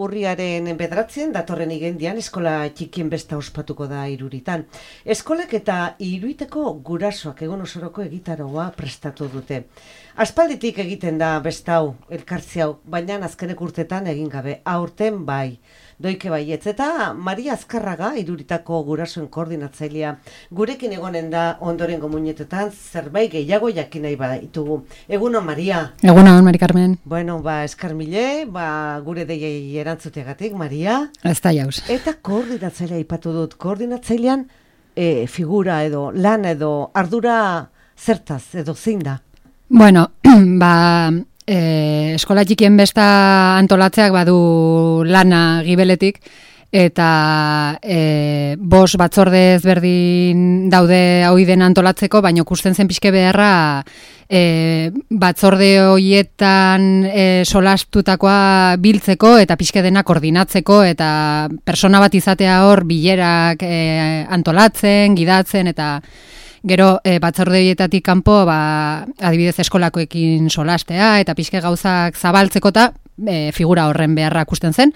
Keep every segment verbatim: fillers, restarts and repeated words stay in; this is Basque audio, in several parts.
Urriaren bederatzen datorren igendian eskola txikien besta ospatuko da Iruritan. Eskolek eta Iruiteko gurasoak egun osoroko egitaroa prestatu dute. Aspalditik egiten da besta hau, elkartzi hau, baina azkenek urtetan egin gabe, aurten bai. Doike baietz eta Maria Azkarraga, Iruritako gurasoen koordinatzailea, gurekin egonen da ondorengo muinetetan zerbait gehiago jakin nahi baditugu. Egunon, Maria. Egunon, Mari Carmen. Bueno, ba, eskarmile, ba, gure deiei erantzutegatik, Maria. Ez da jauz. Eta koordinatzailea ipatu dut, koordinatzailean e, figura edo, lan edo, ardura zertaz edo zein da? Bueno, ba... E, eskola txikien besta antolatzeak badu lana gibeletik eta e, bos batzorde ezberdin daude hoi den antolatzeko, baina kusten zen pixke beharra e, batzorde horietan e, solastutakoa biltzeko eta pixke dena koordinatzeko eta persona bat izatea hor bilerak e, antolatzen, gidatzen eta gero e, batzorde horietatik kanpo ba, adibidez eskolakoekin solastea eta pixke gauzak zabaltzeko eta e, figura horren beharra ikusten zen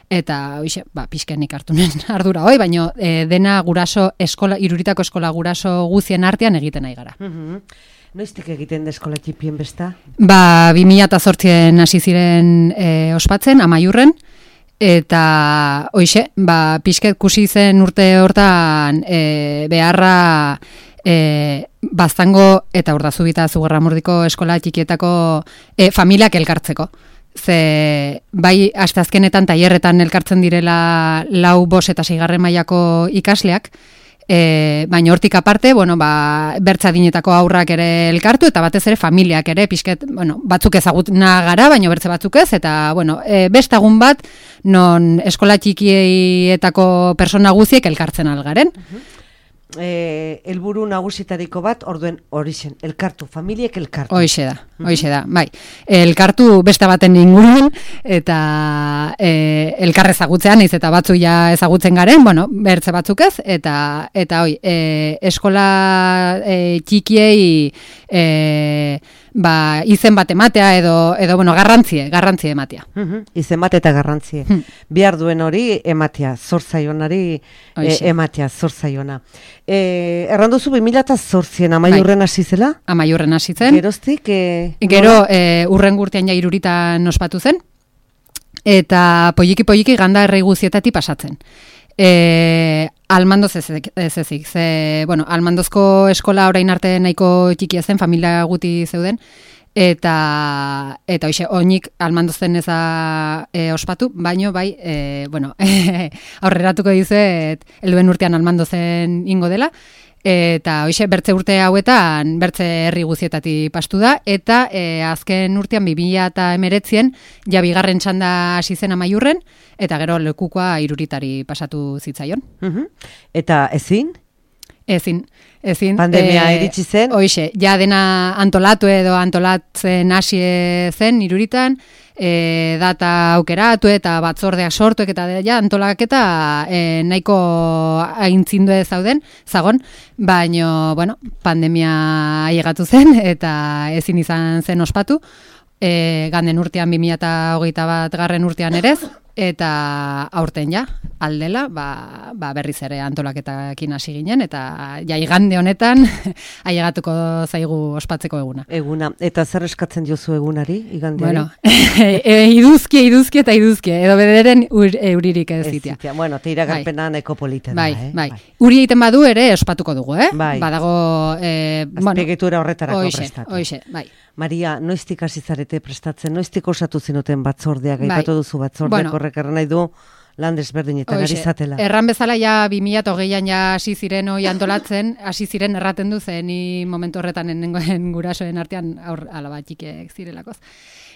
eta oixe, ba, pixkenik hartu nuen ardura hoi, baina e, dena guraso eskola, Iruritako eskola guraso guzien artean egiten nahi gara. Mm-hmm. Noiztik egiten da eskola txikien besta? Ba, bi mila zortzian hasi ziren e, ospatzen, Amaiurren, eta hoixe, ba, pixket kusi zen urte hortan e, beharra E, baztango eta Urdazubita Zugarramurdiko eskola txikietako e, familiak elkartzeko. Ze bai asteazkenetan tailerretan elkartzen direla lau, bos eta seigarren mailako ikasleak, e, baina hortik aparte, bueno, ba, bertzadinetako aurrak ere elkartu eta batez ere familiak ere pixket, bueno, batzuk ezagutna gara, baina bertze batzuk ez, eta bueno, e, bestagun bat non eskola txikietako persona guziek elkartzen algaren. Uh-huh. Eh, helburu nagusitariko bat orduen orixen, elkartu, familiek elkartu. Hoixe da, hoixe da, bai. Elkartu besta baten inguruan eta e, elkar ezagutzean, naiz eta batzu ja ezagutzen garen, bueno, bertze batzuk ez, eta eta hoi, e, eskola e, txikiei e, ba, izen bat ematea edo, edo bueno, garrantzie, garrantzie ematea. Uh-huh. Izen bat eta garrantzie. Hmm. Behar duen hori ematea, zorzaionari e, ematea, zorzaiona. E, erranduzu bi mila zortzian Amaiurren hasi zela? Amaiurren hasi zen. Geroztik? E, Gero e, urren gurtean ja Iruritan ospatu zen, eta poliki-poliki ganda errei guzietatik pasatzen. E, almandoz ez ezik, ze, bueno, almandozko eskola orain arte nahiko txikia zen, familia guti zeuden, eta eta hoixe, oinik almandozen ez da e, ospatu, baino bai, e, bueno, aurreratuko dizuet, helduen urtean almandozen ingo dela, eta hoixe, bertze urte hauetan, bertze herri guzietatik pastu da, eta e, azken urtean bi mila hemeretzien ja bigarren txanda hasi zen Amaiurren, eta gero lekukoa Iruritari pasatu zitzaion. Uh-huh. Eta ezin? Ezin, ezin. Pandemia e, iritsi zen? Hoixe, ja dena antolatu edo antolatzen hasi zen Iruritan, e, data aukeratu eta batzordeak sortuek eta ja antolaketa e, nahiko aintzindu zauden, zagon, baino, bueno, pandemia ailegatu zen eta ezin izan zen ospatu, e, ganden urtean bi mila hogeita bat garren urtean ere, eta aurten ja, aldela, ba, ba berriz ere antolaketakin hasi ginen, eta ja igande honetan ailegatuko zaigu ospatzeko eguna. Eguna, eta zer eskatzen diozu egunari, igandeari? Bueno, e, iduzki, iduzki eta iduzki, edo bederen ur, euririk ez zitea. Bueno, te iragarpena bai. Neko politen bai, da, eh? Bai, bai. Uri egiten badu ere ospatuko dugu, eh? Bai. Badago... Eh, azpiegitura bueno, horretarako oixe, prestatu. Oixe, bai. Maria, noiztik hasi zarete prestatzen, noiztik osatu zenuten batzordeak, bai. Aipatu duzu batzordeak bueno, horrek erran nahi du lan desberdinetan ari zatela. Erran bezala ja bi mila hogeian ja hasi ziren hoi antolatzen, hasi ziren erraten du zen ni momentu horretan nengoen gurasoen artean aur, alaba txikiek zirelakoz.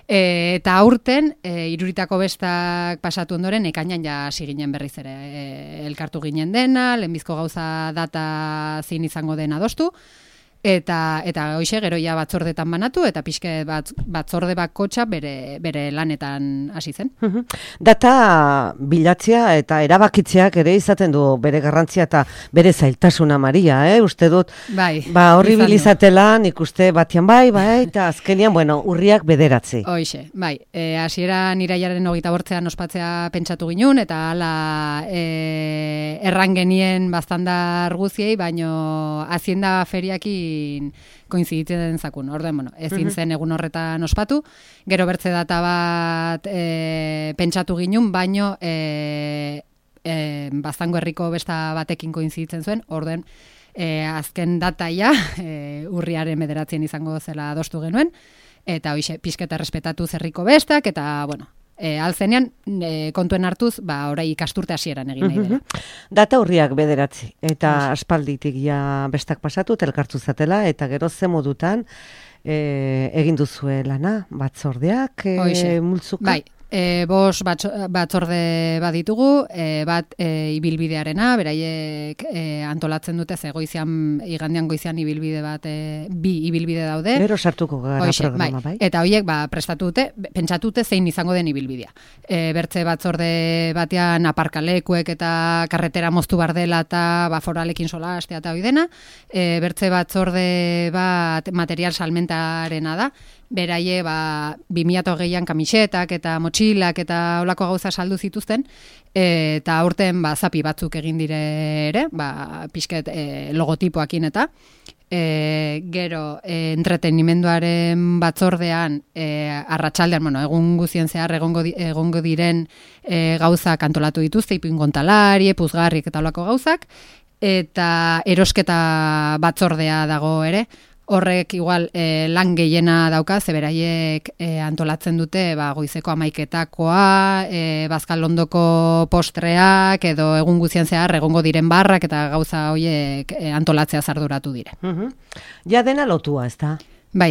E, eta aurten, e, Iruritako bestak pasatu ondoren, ekainan ja hasi ginen berriz ere. E, elkartu ginen dena, lehenbizko gauza data zein izango den adostu, eta eta hoixe gero ja batzordetan banatu eta pixke bat, batzorde bakotxa bere bere lanetan hasi zen. Data bilatzea eta erabakitzeak ere izaten du bere garrantzia eta bere zailtasuna, Maria, eh? Uste dut, bai, ba, horri bilizatela, nik uste batian bai, bai, eta azkenian, bueno, urriak bederatzi. Hoixe, bai, e, hasieran irailaren hogeita bortzean ospatzea pentsatu ginun, eta hala e, erran genien bastandar guziei, baino Hacienda feriakin koinziditzen zakun. Orden, bueno, ezin zen egun horretan ospatu, gero bertze data bat e, pentsatu ginun, baino e, e, Baztango herriko besta batekin koinziditzen zuen, orden, e, azken dataia e, urriaren bederatzen izango zela adostu genuen, eta hoixe, pixketa respetatu zerriko bestak, eta, bueno, E, alzenean e, kontuen hartuz, ba, orai ikasturte hasieran egin nahi dela. Data urriak bederatzi, eta aspalditik ja bestak pasatu, elkartu zatela, eta gero ze modutan e, egin duzue lana, batzordeak, e, multzuka? Bai, e, bos batzorde bat ditugu, e, bat e, ibilbidearena, beraiek e, antolatzen dute, ze goizian, igandean goizian ibilbide bat, e, bi ibilbide daude. Gero sartuko gara Oixe, programa, bai. bai. Eta horiek ba, prestatu dute, pentsatute zein izango den ibilbidea. E, bertze batzorde batean aparkalekuek eta karretera moztu bar dela eta ba, foralekin sola astea eta hoi dena. E, bertze batzorde bat material salmentarena da. Beraie, ba, bi mila hogeian kamisetak eta motxilak eta olako gauza saldu zituzten, e, eta aurten ba, zapi batzuk egin dire ere, ba, pixket e, logotipoakin eta, e, gero e, entretenimenduaren batzordean e, arratsaldean, bueno, egun guzien zehar egongo, di, egongo diren e, gauzak antolatu dituzte, ipuinkontalari, puzgarrik eta olako gauzak, eta erosketa batzordea dago ere. Horrek igual e, lan gehiena dauka, zeberaiek e, antolatzen dute ba, goizeko amaiketakoa, e, bazkalondoko postreak, edo egun guzien zehar egongo diren barrak eta gauza horiek e, antolatzea zarduratu dire. Uh-huh. Ja dena lotua, ez da? Bai,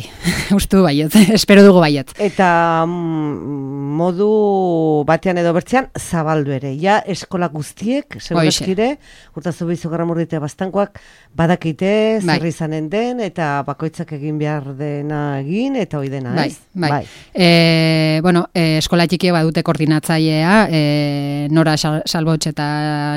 ustu baiet, espero dugu baiet. Eta mm, modu batean edo bertzean zabaldu ere. Ja eskola guztiek, segurazkire, urtazu behizu garramurditea bastankoak, badakite zer bai. Izanen den, eta bakoitzak egin behar dena egin, eta hoi dena, bai, ez? Bai, bai. E, bueno, e, eskola txikia badute koordinatzailea, e, Nora Salbotx eta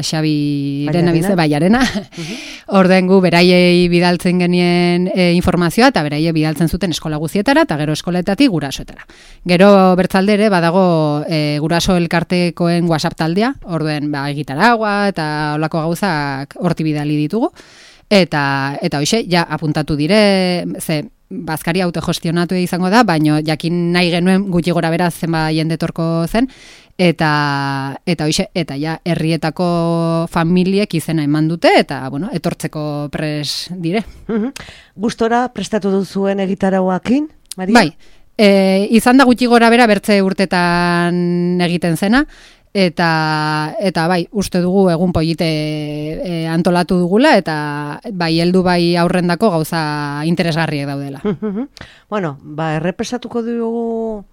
Xabi Renabize, baiarena. Uh-huh. Ordengu, beraiei bidaltzen genien e, informazioa, eta beraiei bidaltzen zuten eskola guztietara eta gero eskoletatik gurasoetara. Gero bertzaldere badago e, guraso elkartekoen WhatsApp taldea, orduen ba, egitaragua eta olako gauzak horti bidali ditugu. Eta, eta hoxe, ja apuntatu dire, ze bazkari autogestionatu izango da, baino jakin nahi genuen gutxi gora beraz zenba jendetorko zen, eta eta hoxe, eta ja herrietako familiek izena eman dute, eta bueno, etortzeko pres dire. Uh-huh. Gustora prestatu duzuen egitarauakin, Maria? Bai, e, izan da gutxi gora bera bertze urtetan egiten zena, eta eta bai, uste dugu egun polite e, antolatu dugula, eta bai heldu bai aurrendako gauza interesgarriek daudela. Bueno, ba, errepesatuko dugu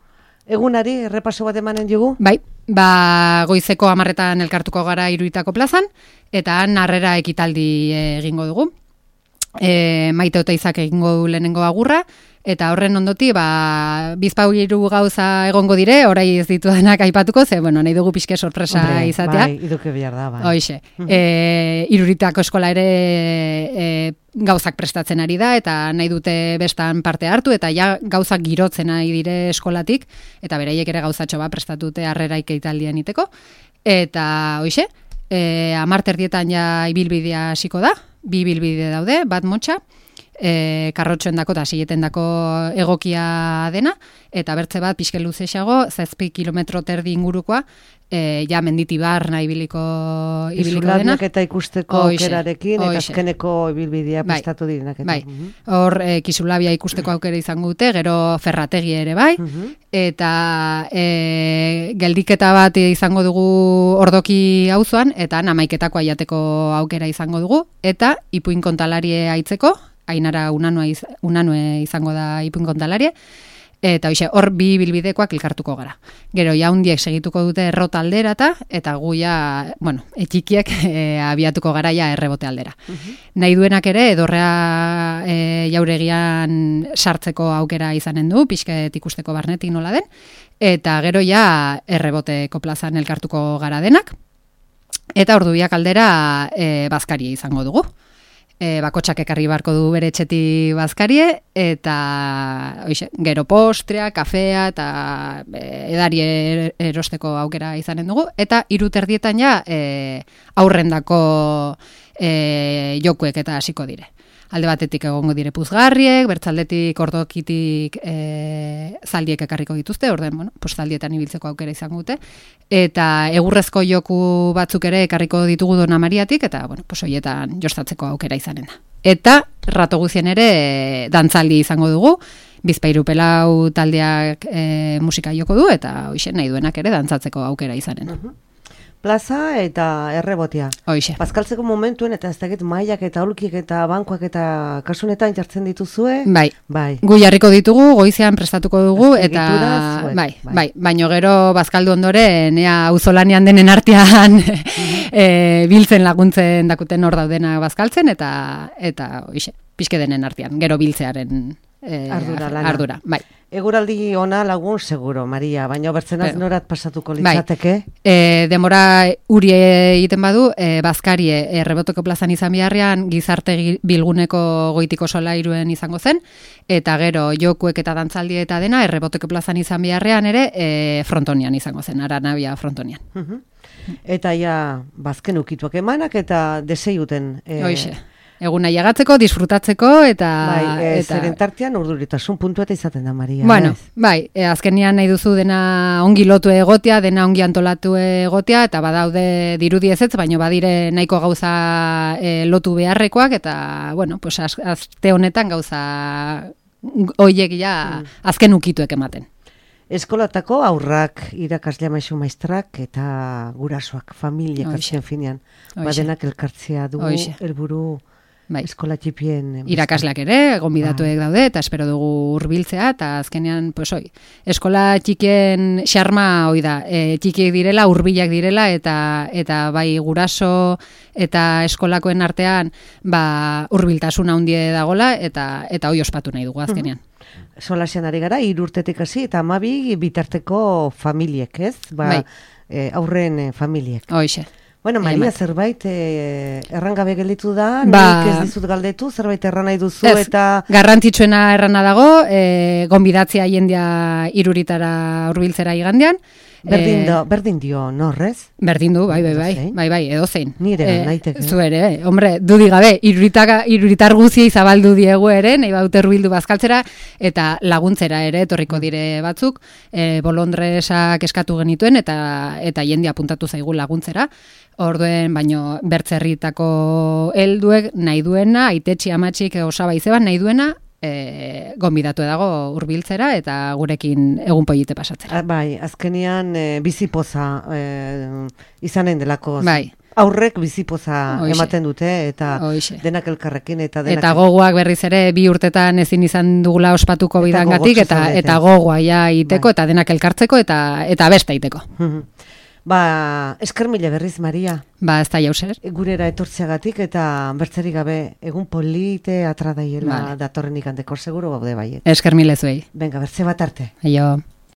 egunari, errepaso bat emanen dugu? Bai, ba, goizeko hamarretan elkartuko gara Iruitako plazan, eta han harrera ekitaldi egingo dugu. E, Maite Oteizak egingo du lehenengo agurra, eta horren ondoti, ba, bizpau hiru gauza egongo dire, orai ez ditu denak aipatuko, ze, bueno, nahi dugu pixke sorpresa Hombre, izatea. Bai, iduke behar da, bai. Hoixe, e, Iruritako eskola ere e, gauzak prestatzen ari da, eta nahi dute bestan parte hartu, eta ja gauzak girotzen ari dire eskolatik, eta beraiek ere gauzatxo bat prestatute harrera ikeitaldian iteko, eta hoixe, e, amarter dietan ja ibilbidea hasiko da, bi ibilbide daude, bat motxa, e, karrotxoen dako eta sileten dako egokia dena, eta bertze bat pixke luzexago, zazpi kilometro terdi ingurukoa, e, ja menditibar nahi ibiliko, ibiliko dena. Izulabiak eta ikusteko aukerarekin, eta azkeneko ibilbidea prestatu direnak. Bai, hor e, Kisulabia ikusteko aukera izango dute, gero Ferrategi ere bai, uh-huh. eta e, geldiketa bat izango dugu Ordoki auzoan, eta namaiketako aiateko aukera izango dugu, eta ipuin kontalarie aitzeko, Ainara unanue, iz, unanue izango da ipuin kontalarie, Eta hoxe, hor bi bilbidekoak elkartuko gara. Gero, jaundiek segituko dute errota alderata, eta gu ja, bueno, etxikiek e, abiatuko gara ja errebote aldera. Uh-huh. Nahi duenak ere, edorrea e, jauregian sartzeko aukera izanen du, pixket ikusteko barnetik nola den, eta gero ja erreboteko plazan elkartuko gara denak, eta ordubiak aldera e, bazkaria izango dugu. E, bakotxak ekarri barko du bere etxetik bazkarie, eta oixe, gero postrea, kafea, eta e, edari erosteko aukera izanen dugu, eta hiru terdietan ja e, aurrendako e, jokuek eta hasiko dire. Alde batetik egongo dire puzgarriek, bertzaldetik ordokitik e, zaldiek ekarriko dituzte, orden, bueno, pues zaldietan ibiltzeko aukera izango dute, eta egurrezko joku batzuk ere ekarriko ditugu Dona Mariatik, eta, bueno, pues hoietan jostatzeko aukera izanen da. Eta rato guzien ere e, dantzaldi izango dugu, Bizpahiru Pelau taldeak e, musika joko du, eta hoxe nahi duenak ere dantzatzeko aukera izanen da. Uh-huh. Plaza eta errebotea. Hoxe. Bazkaltzeko momentuen eta ez dakit mailak eta aulkiek eta bankoak eta kasunetan jartzen dituzue? Bai. Bai. Gu jarriko ditugu, goizean prestatuko dugu, eta zuek, bai, bai, bai, baino gero bazkaldu ondoren, ea auzolanean denen artean e, biltzen laguntzen dakuten hor daudena bazkaltzen, eta eta hoxe, pixke denen artean, gero biltzearen e, ardura, lana. ardura, bai. Eguraldi ona lagun seguro, Maria, baina bertzenaz Pero, norat pasatuko litzateke? Bai. E, demora uri egiten badu, e, bazkarie erreboteko plazan izan biharrean gizarte bilguneko goitiko solairuen izango zen, eta gero jokuek eta dantzaldi eta dena erreboteko plazan izan biharrean ere e, frontonian izango zen, Aranabia frontonian. Uh-huh. Eta ja, bazken ukituak emanak eta deseiuten... E, Hoxe. Eguna jagatzeko, disfrutatzeko, eta... Bai, e, eta... zeren tartean urduritasun puntu eta izaten da, Maria. Bueno, ez? bai, e, azkenean nahi duzu dena ongi lotu egotea, dena ongi antolatu egotea, eta badaude dirudi ezetz, baino badire nahiko gauza e, lotu beharrekoak, eta, bueno, pues az, azte honetan gauza hoiek ja mm. azken ukituek ematen. Eskolatako aurrak, irakaslea maisu maistrak, eta gurasoak, familiak azken finean. Badenak elkartzea dugu, helburu... Bai. Eskola txipien irakasleak ere, gonbidatuek daude, eta espero dugu hurbiltzea, eta azkenean, pues hoi, eskola txikien xarma hoi da, e, txikiek direla, hurbilak direla, eta eta bai guraso eta eskolako artean ba, hurbiltasuna handie dagola, eta eta hoi ospatu nahi dugu azkenean. Uh-huh. Solasean ari gara, hiru urtetik hasi eta hamabi bitarteko familiek, ez? Ba, bai. e, aurren e, familiek. Hoixe. Bueno, Maria, zerbait eh, errangabe gelditu da, ba, nik ez dizut galdetu, zerbait erran nahi duzu, ez, eta... Garrantzitsuena errana dago, e, gonbidatzea jendia iruritara hurbiltzera igandean. Berdin, do, berdin dio, norrez? Berdin du, bai, bai, bai, bai, bai, edo zein. Nire, e, naiteke. Zu ere, hombre, dudik gabe, iruritar guziei zabaldu diegu ere, nahi baute hurbildu bazkaltzera, eta laguntzera ere, etorriko dire batzuk, e, bolondresak eskatu genituen, eta eta jendia apuntatu zaigu laguntzera. Orduen, baino, bertzerritako helduek nahi duena, aitetxi amatxik osaba izeban nahi duena, e, gonbidatu dago hurbiltzera eta gurekin egun polite pasatzera. A, bai, azkenean e, bizipoza e, izanen delako. Bai. Aurrek bizipoza Oixe. Ematen dute, eta Oixe. Denak elkarrekin. Eta, denak eta gogoak berriz ere bi urtetan ezin izan dugula ospatuko bidangatik, eta, eta gogoa ja iteko, bai. Eta denak elkartzeko, eta, eta besta iteko. Ba, esker mile berriz, Maria. Ba, ez da jauzer. Gurera etortzeagatik eta bertzerik gabe egun polite atradaiela vale. Datorren ikandeko seguro gaude baiet. Esker mile zuei. Venga, bertze bat arte. Aio.